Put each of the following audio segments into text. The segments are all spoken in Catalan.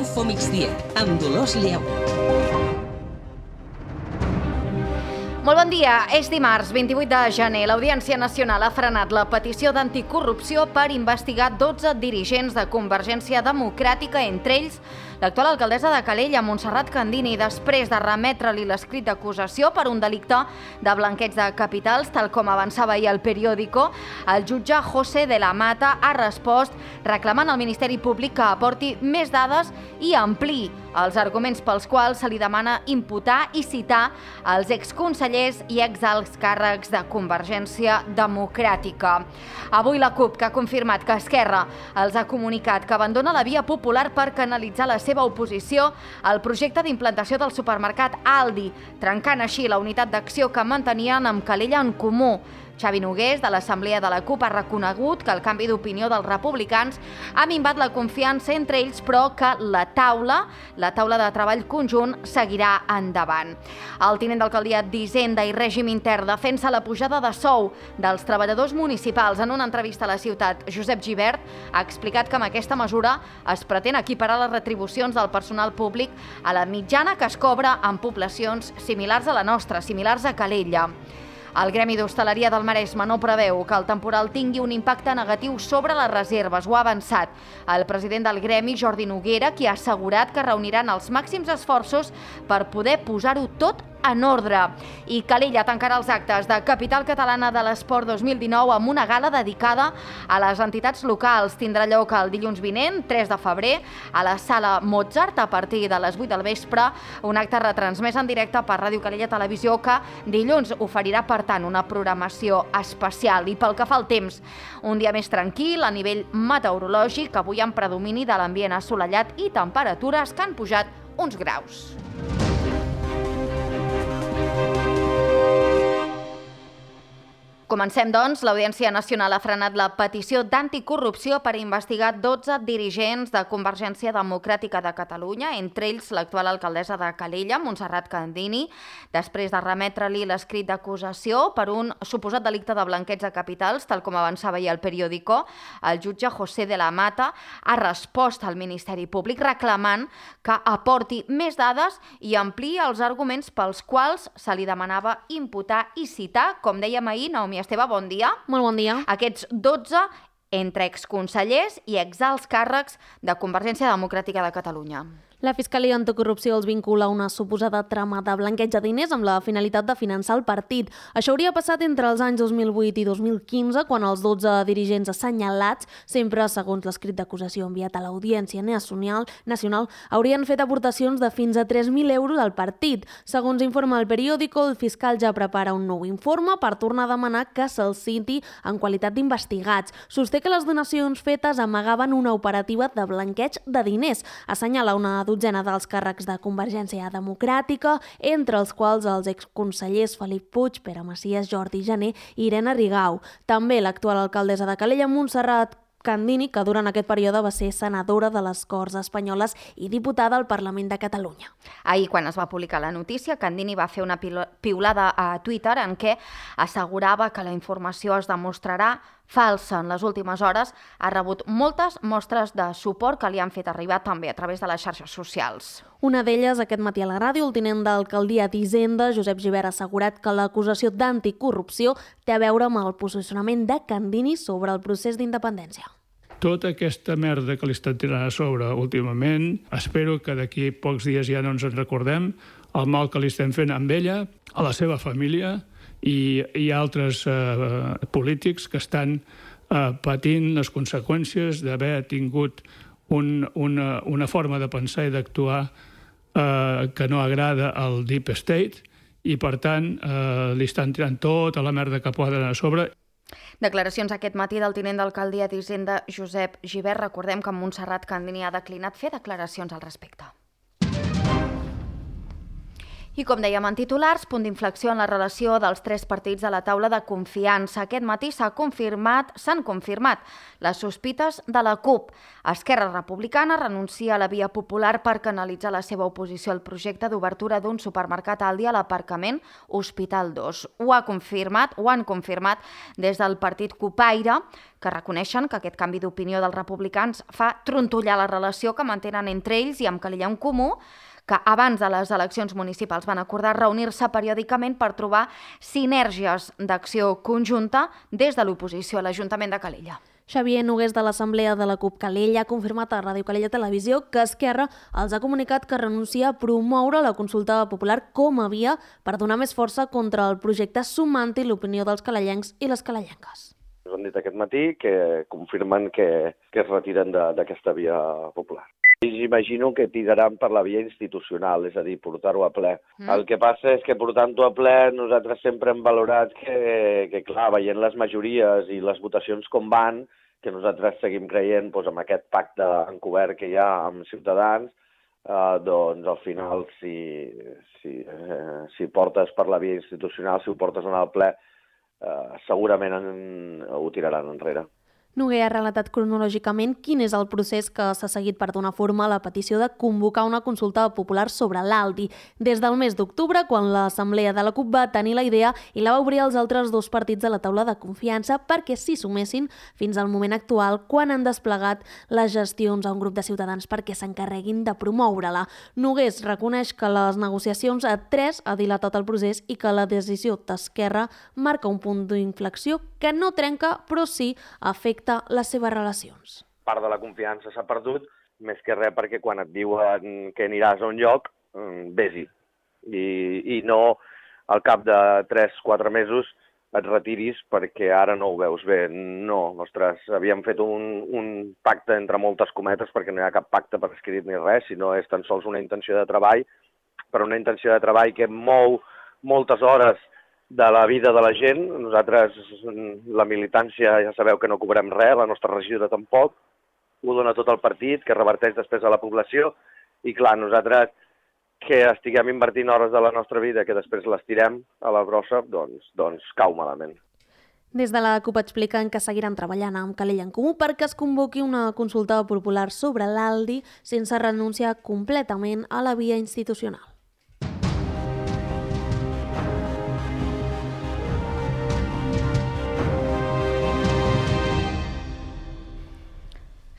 Info Migdia, amb Dolors Lleó. Molt bon dia. És dimarts, 28 de gener. L'Audiència Nacional ha frenat la petició d'anticorrupció per investigar 12 dirigents de Convergència Democràtica, entre ells l'actual alcaldessa de Calella, Montserrat Candini, després de remetre-li l'escrit d'acusació per un delicte de blanqueig de capitals, tal com avançava ahir el Periódico. El jutge José de la Mata ha respost reclamant al Ministeri Públic que aporti més dades i ampliï els arguments pels quals se li demana imputar i citar els exconsellers i exalts càrrecs de Convergència Democràtica. Avui la CUP, que ha confirmat que Esquerra els ha comunicat que abandona la via popular per canalitzar la seva oposició al projecte d'implantació del supermercat Aldi, trencant així la unitat d'acció que mantenien amb Calella en Comú. Xavi Nogués, de l'Assemblea de la CUP, ha reconegut que el canvi d'opinió dels republicans ha minvat la confiança entre ells, però que la taula de treball conjunt seguirà endavant. El tinent d'alcaldia d'Hisenda i Règim Intern defensa la pujada de sou dels treballadors municipals. En una entrevista a La Ciutat, Josep Gibert ha explicat que amb aquesta mesura es pretén equiparar les retribucions del personal públic a la mitjana que es cobra en poblacions similars a la nostra, similars a Calella. El Gremi d'Hostaleria del Maresme no preveu que el temporal tingui un impacte negatiu sobre les reserves. Ho ha avançat el president del Gremi, Jordi Noguera, qui ha assegurat que reuniran els màxims esforços per poder posar-ho tot en ordre. I Calella tancarà els actes de Capital Catalana de l'Esport 2019 amb una gala dedicada a les entitats locals. Tindrà lloc el dilluns vinent, 3 de febrer, a la Sala Mozart a partir de les 8 del vespre, un acte retransmès en directe per Ràdio Calella Televisió que dilluns oferirà, per tant, una programació especial. I pel que fa al temps, un dia més tranquil a nivell meteorològic, avui amb predomini de l'ambient assolellat i temperatures que han pujat uns graus. Comencem, doncs. L'Audiència Nacional ha frenat la petició d'anticorrupció per investigar 12 dirigents de Convergència Democràtica de Catalunya, entre ells l'actual alcaldessa de Calella, Montserrat Candini, després de remetre-li l'escrit d'acusació per un suposat delicte de blanqueig de capitals, tal com avançava ahir el Periódico. El jutge José de la Mata ha respost al Ministeri Públic reclamant que aporti més dades i ampliï els arguments pels quals se li demanava imputar i citar, com dèiem ahir, Naomi Esteve, bon dia. Molt bon dia. Aquests 12 entre exconsellers i exalts càrrecs de Convergència Democràtica de Catalunya. La Fiscalia Anticorrupció els vincula a una suposada trama de blanqueig de diners amb la finalitat de finançar el partit. Això hauria passat entre els anys 2008 i 2015, quan els 12 dirigents assenyalats, sempre segons l'escrit d'acusació enviat a l'Audiència Nacional, haurien fet aportacions de fins a 3.000 euros al partit. Segons informa el Periódico, el fiscal ja prepara un nou informe per tornar a demanar que se'ls citi en qualitat d'investigats. Sosté que les donacions fetes amagaven una operativa de blanqueig de diners. Assenyala una dotzena dels càrrecs de Convergència Democràtica, entre els quals els exconsellers Felip Puig, Pere Macias, Jordi Jané i Irene Rigau. També l'actual alcaldessa de Calella, Montserrat Candini, que durant aquest període va ser senadora de les Corts Espanyoles i diputada al Parlament de Catalunya. Ahir, quan es va publicar la notícia, Candini va fer una piulada a Twitter en què assegurava que la informació es demostrarà falsa. En les últimes hores ha rebut moltes mostres de suport que li han fet arribar també a través de les xarxes socials. Una d'elles, aquest matí a la ràdio, el tinent d'alcaldia d'Hisenda, Josep Gibert, ha assegurat que l'acusació d'anticorrupció té a veure amb el posicionament de Candini sobre el procés d'independència. Tota aquesta merda que li estan tirant a sobre últimament, espero que d'aquí pocs dies ja no ens en recordem, el mal que li estem fent amb ella, a la seva família i altres polítics que estan patint les conseqüències d'haver tingut una forma de pensar i d'actuar que no agrada al Deep State i, per tant, li estan tirant tota la merda que poden a sobre. Declaracions aquest matí del tinent d'alcaldia d'Hisenda, Josep Gibert. Recordem que Montserrat Candini ha declinat fer declaracions al respecte. I com dèiem en titulars, punt d'inflexió en la relació dels tres partits de la taula de confiança. Aquest matí s'han confirmat les sospites de la CUP. Esquerra Republicana renuncia a la via popular per canalitzar la seva oposició al projecte d'obertura d'un supermercat Aldi a l'aparcament Hospital 2. Ho han confirmat des del partit Cupaire, que reconeixen que aquest canvi d'opinió dels republicans fa trontollar la relació que mantenen entre ells i amb Calella en Comú, que abans de les eleccions municipals van acordar reunir-se periòdicament per trobar sinergies d'acció conjunta des de l'oposició a l'Ajuntament de Calella. Xavier Nogués de l'Assemblea de la CUP Calella ha confirmat a Ràdio Calella Televisió que Esquerra els ha comunicat que renuncia a promoure la consulta popular com a via per donar més força contra el projecte sumant-hi l'opinió dels calellencs i les calellenques. Ens han dit aquest matí que confirmen que es retiren d'aquesta via popular. Ells imagino que tiraran per la via institucional, és a dir, portar-ho a ple. El que passa és que portant-ho a ple nosaltres sempre hem valorat que clar, veient les majories i les votacions com van, que nosaltres seguim creient amb aquest pacte encobert que hi ha amb Ciutadans, doncs al final si portes per la via institucional, si ho portes en el ple, segurament ho tiraran enrere. Noguer ha relatat cronològicament quin és el procés que s'ha seguit per donar forma a la petició de convocar una consulta popular sobre l'Aldi. Des del mes d'octubre, quan l'Assemblea de la CUP va tenir la idea i la va obrir als altres dos partits de la taula de confiança perquè s'hi sumessin fins al moment actual, quan han desplegat les gestions a un grup de ciutadans perquè s'encarreguin de promoure-la. Nogués reconeix que les negociacions a 3 ha dilatat el procés i que la decisió d'Esquerra marca un punt d'inflexió que no trenca, però sí afecta les seves relacions. Part de la confiança s'ha perdut, més que res perquè quan et diuen que aniràs a un lloc, vés-hi. I no al cap de 3-4 mesos et retiris perquè ara no ho veus bé. No, ostres, havíem fet un pacte entre moltes cometes perquè no hi ha cap pacte per escrit ni res, sinó és tan sols una intenció de treball, però una intenció de treball que mou moltes hores de la vida de la gent. Nosaltres, la militància, ja sabeu que no cobrem res, la nostra regidora tampoc, ho dona tot el partit, que reverteix després a la població, i clar, nosaltres que estiguem invertint hores de la nostra vida que després les tirem a la brossa, doncs cau malament. Des de la CUP expliquen que seguiran treballant amb Calella en Comú perquè es convoqui una consulta popular sobre l'Aldi sense renunciar completament a la via institucional.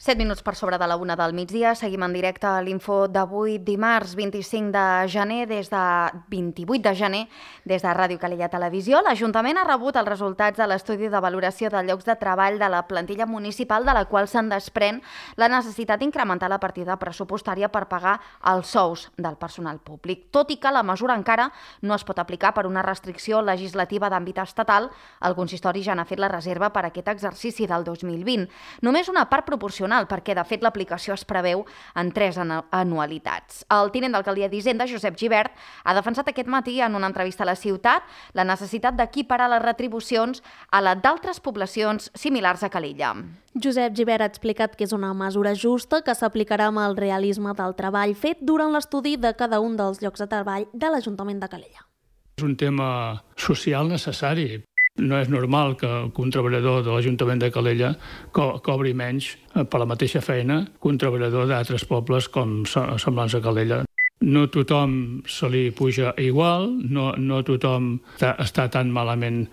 7 minuts per sobre de la 1 del migdia. Seguim en directe a l'Info d'avui, dimarts 25 de gener, des de 28 de gener, des de Ràdio Calella Televisió. L'Ajuntament ha rebut els resultats de l'estudi de valoració de llocs de treball de la plantilla municipal, de la qual se'n desprèn la necessitat d'incrementar la partida pressupostària per pagar els sous del personal públic. Tot i que la mesura encara no es pot aplicar per una restricció legislativa d'àmbit estatal, el consistori ja n'ha fet la reserva per aquest exercici del 2020. Només una part proporcional, perquè de fet l'aplicació es preveu en 3 anualitats. El tinent d'alcaldia d'Hisenda, Josep Gibert, ha defensat aquest matí en una entrevista a La Ciutat la necessitat d'equiparar les retribucions a la d'altres poblacions similars a Calella. Josep Gibert ha explicat que és una mesura justa que s'aplicarà amb el realisme del treball fet durant l'estudi de cada un dels llocs de treball de l'Ajuntament de Calella. És un tema social necessari. No és normal que un treballador de l'Ajuntament de Calella cobri menys per la mateixa feina que un treballador d'altres pobles com semblants a Calella. No tothom se li puja igual, no tothom està tan malament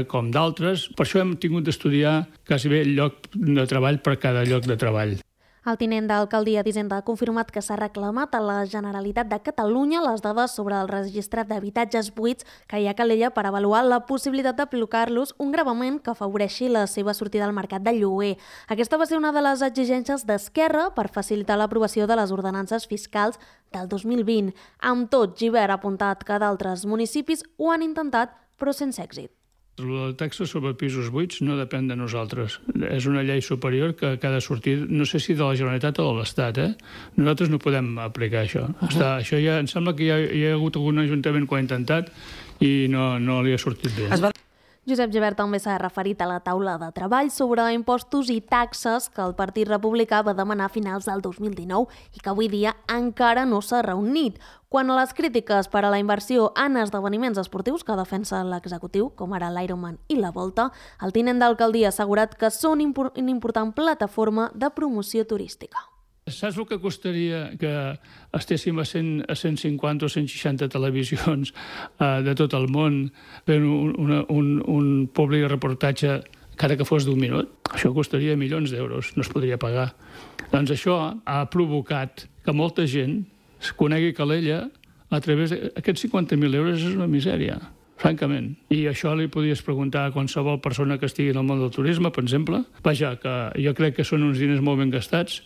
com d'altres. Per això hem tingut d'estudiar quasi bé el lloc de treball per cada lloc de treball. El tinent d'alcaldia d'Hisenda ha confirmat que s'ha reclamat a la Generalitat de Catalunya les dades sobre el registre d'habitatges buits que hi ha a Calella per avaluar la possibilitat d'aplicar-los un gravament que afavoreixi la seva sortida al mercat de lloguer. Aquesta va ser una de les exigències d'Esquerra per facilitar l'aprovació de les ordenances fiscals del 2020. Amb tot, Gibert ha apuntat que d'altres municipis ho han intentat, però sense èxit. La taxa sobre pisos buits no depèn de nosaltres. És una llei superior que ha de sortir, no sé si de la Generalitat o de l'Estat. Nosaltres no podem aplicar això. Això ja, em sembla que hi ha hagut algun ajuntament que ho ha intentat i no li ha sortit bé. Josep Gibert també s'ha referit a la taula de treball sobre impostos i taxes que el Partit Republicà va demanar a finals del 2019 i que avui dia encara no s'ha reunit. Quant a les crítiques per a la inversió en esdeveniments esportius que defensa l'executiu, com ara l'Ironman i la Volta, el tinent d'alcaldia ha assegurat que són una important plataforma de promoció turística. Saps el que costaria que estéssim a 150 o 160 televisions de tot el món fent un públic reportatge cada que fos d'1 minut? Això costaria milions d'euros, no es podria pagar. Doncs això ha provocat que molta gent es conegui Calella a través d'aquests 50.000 euros. És una misèria, francament. I això li podies preguntar a qualsevol persona que estigui en el món del turisme, per exemple. Vaja, que jo crec que són uns diners molt ben gastats.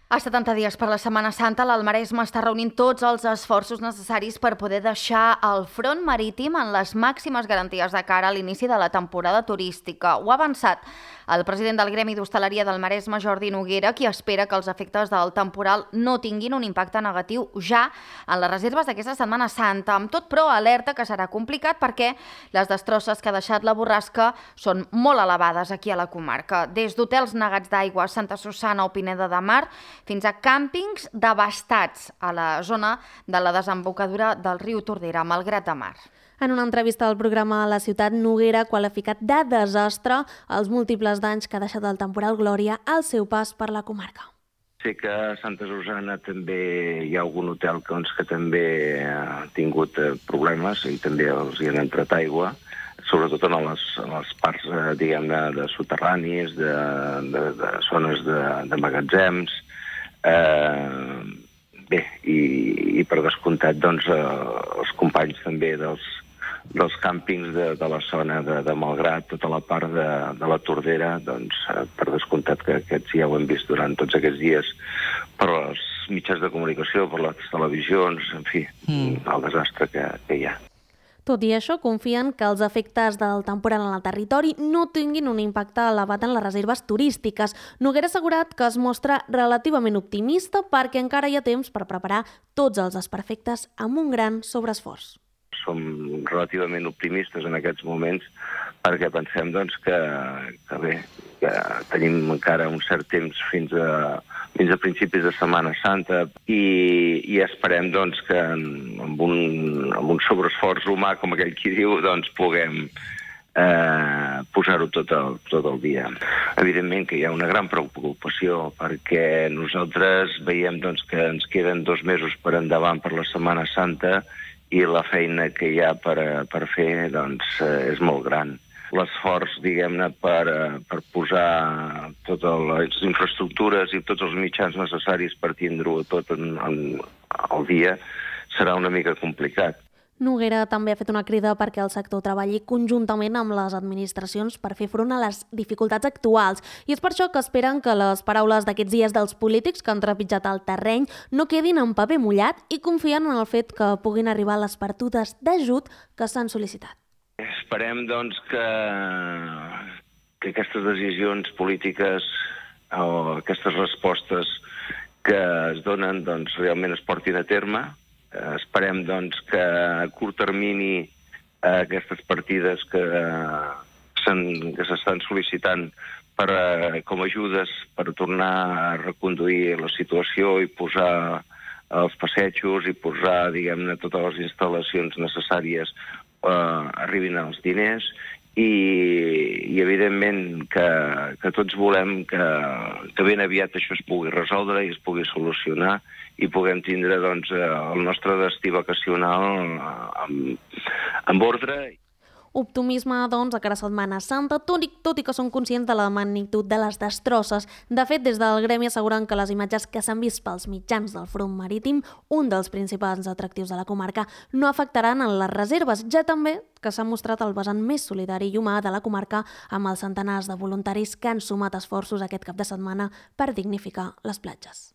A 70 dies per la Setmana Santa, l'Alt Maresme està reunint tots els esforços necessaris per poder deixar el front marítim en les màximes garanties de cara a l'inici de la temporada turística. Ho ha avançat el president del Gremi d'Hostaleria del Maresme, Jordi Noguera, qui espera que els efectes del temporal no tinguin un impacte negatiu ja en les reserves d'aquesta Setmana Santa. Amb tot, però, alerta que serà complicat perquè les destrosses que ha deixat la borrasca són molt elevades aquí a la comarca. Des d'hotels negats d'aigua a Santa Susanna o Pineda de Mar fins a càmpings devastats a la zona de la desembocadura del riu Tordera, Malgrat de Mar. En una entrevista al programa La Ciutat, Noguera ha qualificat de desastre els múltiples danys que ha deixat el temporal Glòria al seu pas per la comarca. Sé que a Santa Susanna també hi ha algun hotel que també ha tingut problemes i també els hi han entrat aigua, sobretot en les parts, diguem-ne, de soterranis, de zones de magatzems. Bé, i per descomptat, doncs, els companys també dels càmpings de la zona de Malgrat, tota la part de la Tordera, doncs, per descomptat que aquests ja ho hem vist durant tots aquests dies per els mitjans de comunicació, per les televisions, en fi, el desastre que hi ha. Tot i això, confien que els efectes del temporal en el territori no tinguin un impacte elevat en les reserves turístiques. Noguera ha assegurat que es mostra relativament optimista perquè encara hi ha temps per preparar tots els desperfectes amb un gran sobreesforç. Som relativament optimistes en aquests moments perquè pensem doncs, que tenim encara un cert temps fins a principis de Setmana Santa i esperem doncs, que amb un sobreesforç humà, com aquell qui diu, doncs, puguem posar-ho tot el dia. Evidentment que hi ha una gran preocupació perquè nosaltres veiem doncs, que ens queden 2 mesos per endavant per la Setmana Santa i la feina que hi ha per fer doncs, és molt gran. L'esforç, diguem-ne, per posar totes les infraestructures i tots els mitjans necessaris per tindre-ho tot al dia serà una mica complicat. Noguera també ha fet una crida perquè el sector treballi conjuntament amb les administracions per fer front a les dificultats actuals. I és per això que esperen que les paraules d'aquests dies dels polítics que han trepitjat el terreny no quedin en paper mullat i confien en el fet que puguin arribar les partides d'ajut que s'han sol·licitat. Esperem, doncs, que aquestes decisions polítiques o aquestes respostes que es donen doncs, realment es portin a terme. Esperem, doncs, que a curt termini aquestes partides que s'estan sol·licitant com a ajudes per tornar a reconduir la situació i posar els passejos i posar, diguem-ne, totes les instal·lacions necessàries arribin als diners i evidentment que tots volem que ben aviat això es pugui resoldre i es pugui solucionar i puguem tindre doncs, el nostre destí vacacional amb ordre. Optimisme, doncs, a cara a Setmana Santa, tot i que són conscients de la magnitud de les destrosses. De fet, des del Gremi asseguren que les imatges que s'han vist pels mitjans del front marítim, un dels principals atractius de la comarca, no afectaran en les reserves, ja també que s'ha mostrat el vessant més solidari i humà de la comarca amb els centenars de voluntaris que han sumat esforços aquest cap de setmana per dignificar les platges.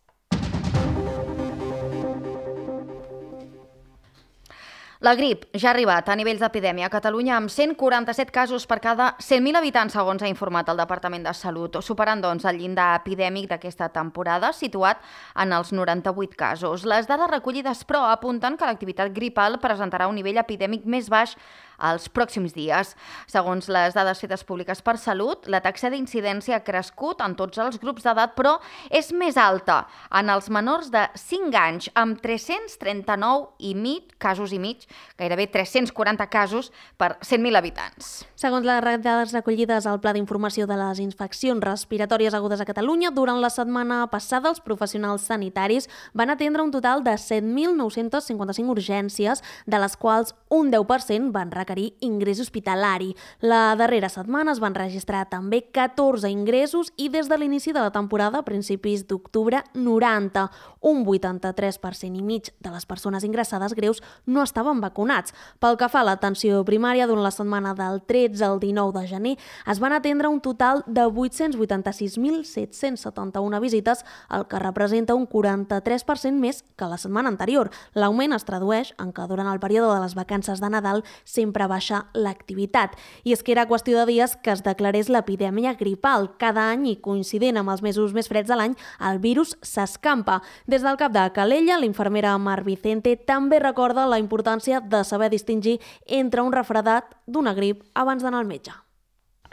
La grip ja ha arribat a nivells d'epidèmia a Catalunya amb 147 casos per cada 100.000 habitants, segons ha informat el Departament de Salut, superant doncs el llindar epidèmic d'aquesta temporada, situat en els 98 casos. Les dades recollides, però, apunten que l'activitat gripal presentarà un nivell epidèmic més baix els pròxims dies. Segons les dades fetes públiques per Salut, la taxa d'incidència ha crescut en tots els grups d'edat, però és més alta en els menors de 5 anys, amb 339 casos i mig, gairebé 340 casos per 100.000 habitants. Segons les dades recollides al Pla d'Informació de les Infeccions Respiratòries Agudes a Catalunya, durant la setmana passada els professionals sanitaris van atendre un total de 7.955 urgències, de les quals un 10% van requerir ingrés hospitalari. La darrera setmana es van registrar també 14 ingressos i des de l'inici de la temporada, a principis d'octubre, 90. Un 83% i mig de les persones ingressades greus no estaven vacunats. Pel que fa a l'atenció primària, durant la setmana del 13 al 19 de gener es van atendre un total de 886.771 visites, el que representa un 43% més que la setmana anterior. L'augment es tradueix en que durant el període de les vacances de Nadal sempre baixa l'activitat. I és que era qüestió de dies que es declarés l'epidèmia gripal. Cada any, i coincident amb els mesos més freds de l'any, el virus s'escampa. Des del cap de Calella, l'infermera Mar Vicente també recorda la importància de saber distingir entre un refredat d'una grip abans d'anar al metge.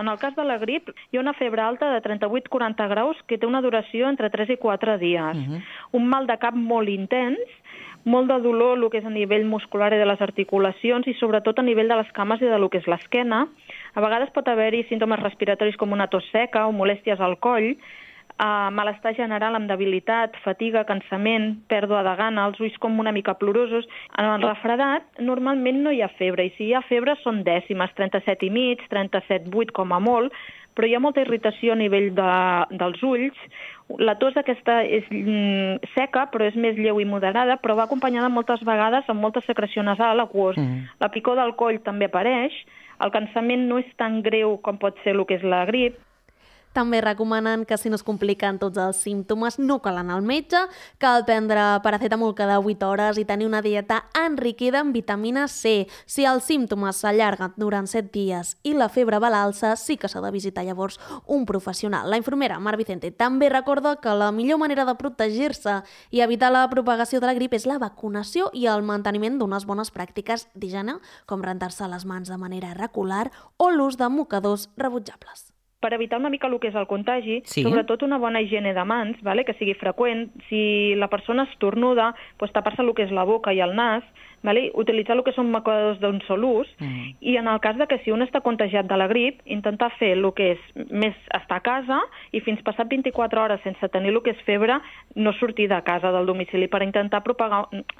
En el cas de la grip, hi ha una febre alta de 38-40 graus que té una duració entre 3 i 4 dies. Un mal de cap molt intens, molt de dolor, el que és a nivell muscular i de les articulacions i sobretot a nivell de les cames i de lo que és l'esquena. A vegades pot haver-hi símptomes respiratoris com una tos seca o molèsties al coll, malestar general amb debilitat, fatiga, cansament, pèrdua de gana, els ulls com una mica plorosos. En el refredat normalment no hi ha febre i si hi ha febre són dècimes, 37,5, 37,8 com a molt, però hi ha molta irritació a nivell dels ulls. La tos aquesta és seca, però és més lleu i moderada, però va acompanyada moltes vegades amb molta secreció nasal aquós. La picor del coll també apareix, el cansament no és tan greu com pot ser el que és la grip. També recomanen que si no es compliquen tots els símptomes no cal anar al metge, cal prendre paracetamol cada 8 hores i tenir una dieta enriquida en vitamina C. Si els símptomes s'allarguen durant 7 dies i la febre va a l'alça, sí que s'ha de visitar llavors un professional. La infermera Mar Vicente també recorda que la millor manera de protegir-se i evitar la propagació de la grip és la vacunació i el manteniment d'unes bones pràctiques d'higiene, com rentar-se les mans de manera regular o l'ús de mocadors rebutjables. Per evitar una mica el que és el contagi, sobretot una bona higiene de mans, que sigui freqüent. Si la persona estornuda, tapar-se el que és la boca i el nas, utilitzar el que són mocadors d'un sol ús, i en el cas de que si un està contagiat de la grip, intentar fer el que és més estar a casa i fins passat 24 hores sense tenir el que és febre, no sortir de casa del domicili per intentar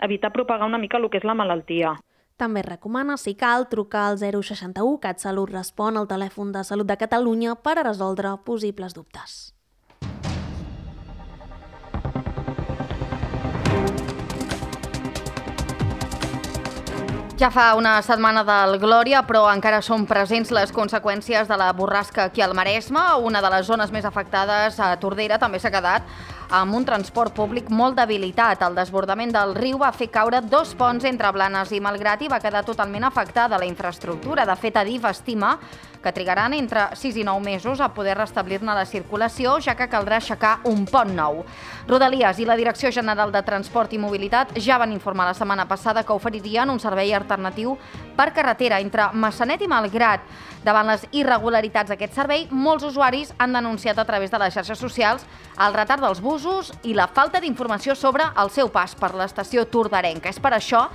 evitar propagar una mica el que és la malaltia. També recomana, si cal, trucar al 061 CatSalut respon al telèfon de Salut de Catalunya per a resoldre possibles dubtes. Ja fa una setmana del Glòria, però encara són presents les conseqüències de la borrasca aquí al Maresme. Una de les zones més afectades, a Tordera, també s'ha quedat amb un transport públic molt debilitat. El desbordament del riu va fer caure 2 ponts entre Blanes i Malgrat i va quedar totalment afectada la infraestructura. De fet, Adif estima que trigaran entre 6 i 9 mesos a poder restablir-ne la circulació, ja que caldrà aixecar un pont nou. Rodalies i la Direcció General de Transport i Mobilitat ja van informar la setmana passada que oferirien un servei alternatiu per carretera entre Massanet i Malgrat. Davant les irregularitats d'aquest servei, molts usuaris han denunciat a través de les xarxes socials el retard dels busos i la falta d'informació sobre el seu pas per l'estació torderenca. És per això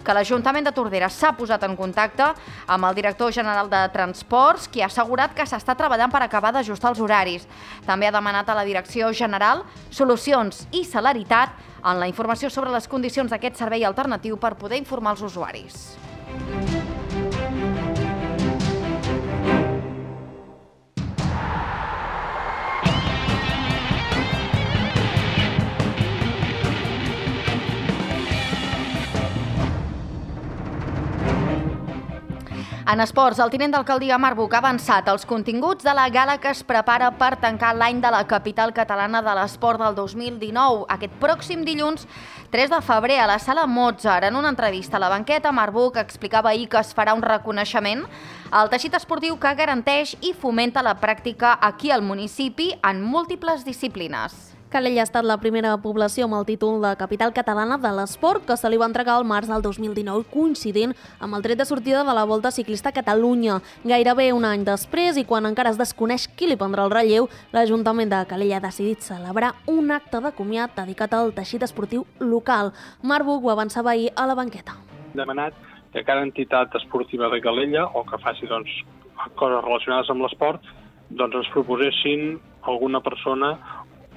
que l'Ajuntament de Tordera s'ha posat en contacte amb el director general de Transports, qui ha assegurat que s'està treballant per acabar d'ajustar els horaris. També ha demanat a la Direcció General solucions i celeritat en la informació sobre les condicions d'aquest servei alternatiu per poder informar els usuaris. En esports, el tinent d'alcaldia Marc Buch ha avançat els continguts de la gala que es prepara per tancar l'any de la capital catalana de l'esport del 2019. Aquest pròxim dilluns, 3 de febrer, a la Sala Mozart. En una entrevista a La Banqueta, Marc Buch explicava ahir que es farà un reconeixement al teixit esportiu que garanteix i fomenta la pràctica aquí al municipi en múltiples disciplines. Calella ha estat la primera població amb el títol de capital catalana de l'esport que se li va entregar al març del 2019, coincidint amb el tret de sortida de la Volta Ciclista a Catalunya. Gairebé un any després, i quan encara es desconeix qui li prendrà el relleu, l'Ajuntament de Calella ha decidit celebrar un acte de comiat dedicat al teixit esportiu local. Marc Buch ho avançava ahir a La Banqueta. Demanat que cada entitat esportiva de Calella, o que faci coses relacionades amb l'esport, ens proposessin alguna persona,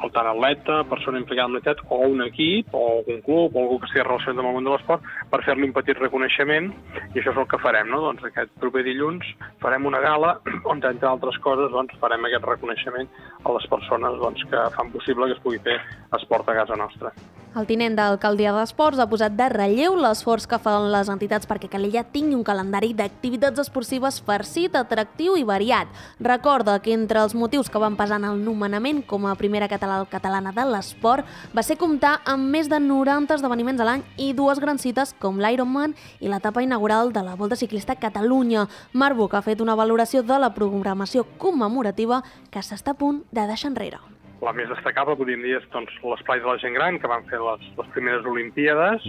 o tant atleta, persona implicada en l'entitat, o un equip, o un club, o algú que estigui relacionat amb el món de l'esport, per fer-li un petit reconeixement, i això és el que farem, no? Aquest proper dilluns farem una gala on, entre altres coses, farem aquest reconeixement a les persones que fan possible que es pugui fer esport a casa nostra. El tinent d'alcaldia d'Esports ha posat de relleu l'esforç que fan les entitats perquè Calella tingui un calendari d'activitats esportives farcit, atractiu i variat. Recorda que entre els motius que van pesar en el nomenament com a primera catalana de l'esport va ser comptar amb més de 90 esdeveniments a l'any i 2 grans cites com l'Ironman i l'etapa inaugural de la Volta Ciclista a Catalunya. Marc Buch ha fet una valoració de la programació commemorativa que s'està a punt de deixar enrere. La més destacable, podríem dir, és l'esplai de la gent gran, que van fer les primeres Olimpíades,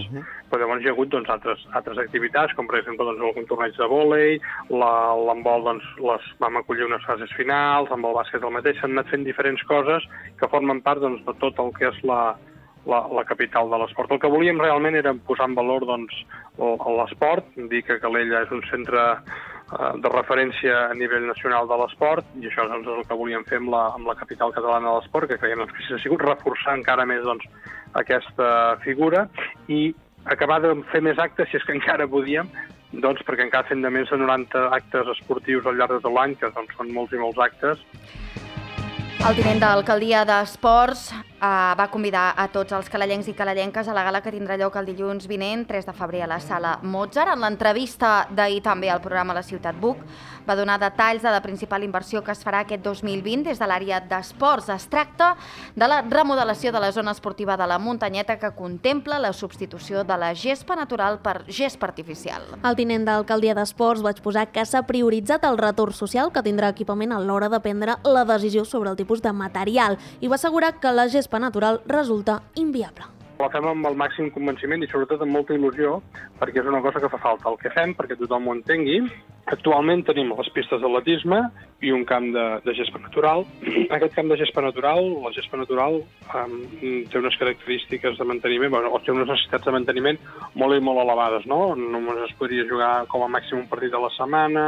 però llavors hi ha hagut altres activitats, com per exemple algun torneig de vòlei, l'handbol vam acollir unes fases finals, amb el bàsquet el mateix, s'han anat fent diferents coses que formen part de tot el que és la capital de l'esport. El que volíem realment era posar en valor l'esport, dir que Calella és un centre de referència a nivell nacional de l'esport, i això és el que volíem fer amb la capital catalana de l'esport, que creiem que s'ha sigut reforçar encara més aquesta figura i acabar de fer més actes, si és que encara podíem, perquè encara fem de més de 90 actes esportius al llarg de tot l'any, que són molts i molts actes. El tinent d'alcaldia d'Esports va convidar a tots els calellencs i calellenques a la gala que tindrà lloc el dilluns vinent, 3 de febrer, a la Sala Mozart. En l'entrevista d'ahir també al programa La Ciutat Buch va donar detalls de la principal inversió que es farà aquest 2020 des de l'àrea d'esports. Es tracta de la remodelació de la zona esportiva de la Muntanyeta, que contempla la substitució de la gespa natural per gespa artificial. El tinent d'alcaldia d'Esports va exposar que s'ha prioritzat el retorn social que tindrà equipament a l'hora de prendre la decisió sobre el tipus de material i va assegurar que la gespa natural resulta inviable. La fem amb el màxim convenciment i sobretot amb molta il·lusió, perquè és una cosa que fa falta. El que fem, perquè tothom ho entengui, actualment tenim les pistes d'atletisme i un camp de gespa natural. Aquest camp de gespa natural, la gespa natural, té unes característiques de manteniment, o té unes necessitats de manteniment molt i molt elevades, no? Només es podria jugar com a màxim un partit a la setmana,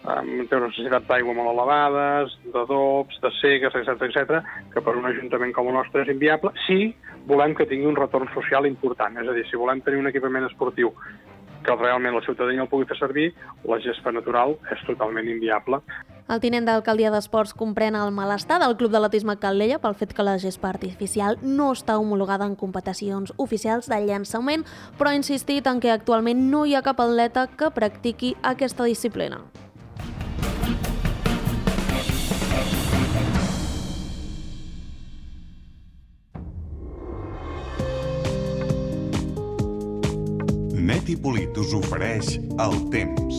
té unes necessitats d'aigua molt elevades, d'adobs, de segues, etc., que per un ajuntament com el nostre és inviable, si volem que tingui un retorn social important. És a dir, si volem tenir un equipament esportiu que realment la ciutadania el pugui fer servir, la gespa natural és totalment inviable. El tinent d'alcaldia d'Esports comprèn el malestar del Club d'Atletisme Calella pel fet que la gespa artificial no està homologada en competicions oficials de llançament, però ha insistit en que actualment no hi ha cap atleta que practiqui aquesta disciplina. Neti Polit us ofereix el temps.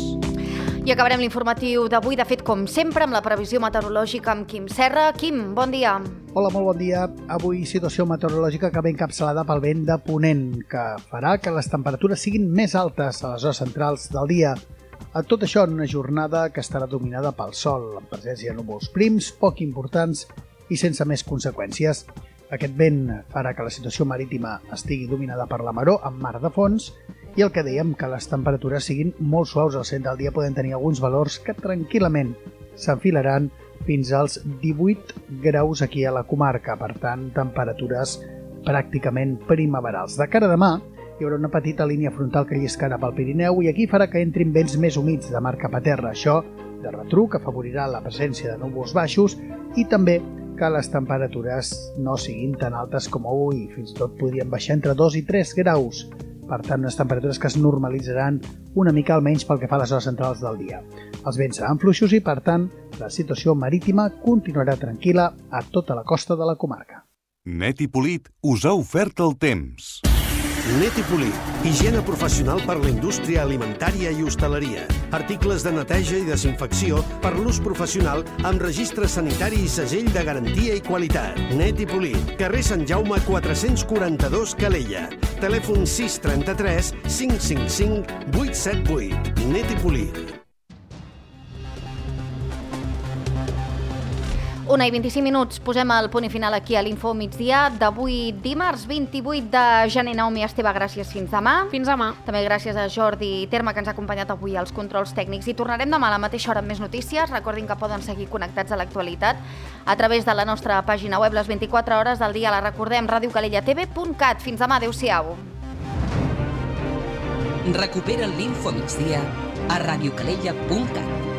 I acabarem l'informatiu d'avui, de fet, com sempre, amb la previsió meteorològica amb Quim Serra. Quim, bon dia. Hola, molt bon dia. Avui situació meteorològica que ve encapçalada pel vent de ponent, que farà que les temperatures siguin més altes a les hores centrals del dia. A tot això en una jornada que estarà dominada pel sol, amb presència de núvols prims, poc importants i sense més conseqüències. Aquest vent farà que la situació marítima estigui dominada per la maror amb mar de fons i el que dèiem, que les temperatures siguin molt suaus al centre del dia, poden tenir alguns valors que tranquil·lament s'enfilaran fins als 18 graus aquí a la comarca, per tant, temperatures pràcticament primaverals. De cara a demà, hi haurà una petita línia frontal que lliscarà pel Pirineu i aquí farà que entrin vents més humits de mar cap a terra. Això de retruc afavorirà la presència de núvols baixos i també que les temperatures no siguin tan altes com avui, fins i tot podrien baixar entre 2 i 3 graus. per tant unes temperatures que es normalitzaran una mica almenys pel que fa a les hores centrals del dia. Els vents seran fluixos i, per tant, la situació marítima continuarà tranquil·la a tota la costa de la comarca. Net i Polit us ha ofert el temps. Net i Polit, higiene professional per la indústria alimentària i hostaleria. Articles de neteja i desinfecció per l'ús professional amb registre sanitari i segell de garantia i qualitat. Net i Polit, carrer Sant Jaume 442 Calella. Telèfon 633 555 878. Net i Polit. 1:25. Posem el punt i final aquí a l'Info Migdia d'avui dimarts 28 de gener. Naomi Esteve, gràcies. Fins demà. Fins demà. També gràcies a Jordi Terma, que ens ha acompanyat avui als controls tècnics. I tornarem demà a la mateixa hora amb més notícies. Recordin que poden seguir connectats a l'actualitat a través de la nostra pàgina web les 24 hores del dia. La recordem, radiocalellatv.cat. Fins demà. Adéu-siau. Recupera l'Info Migdia a radiocalella.cat.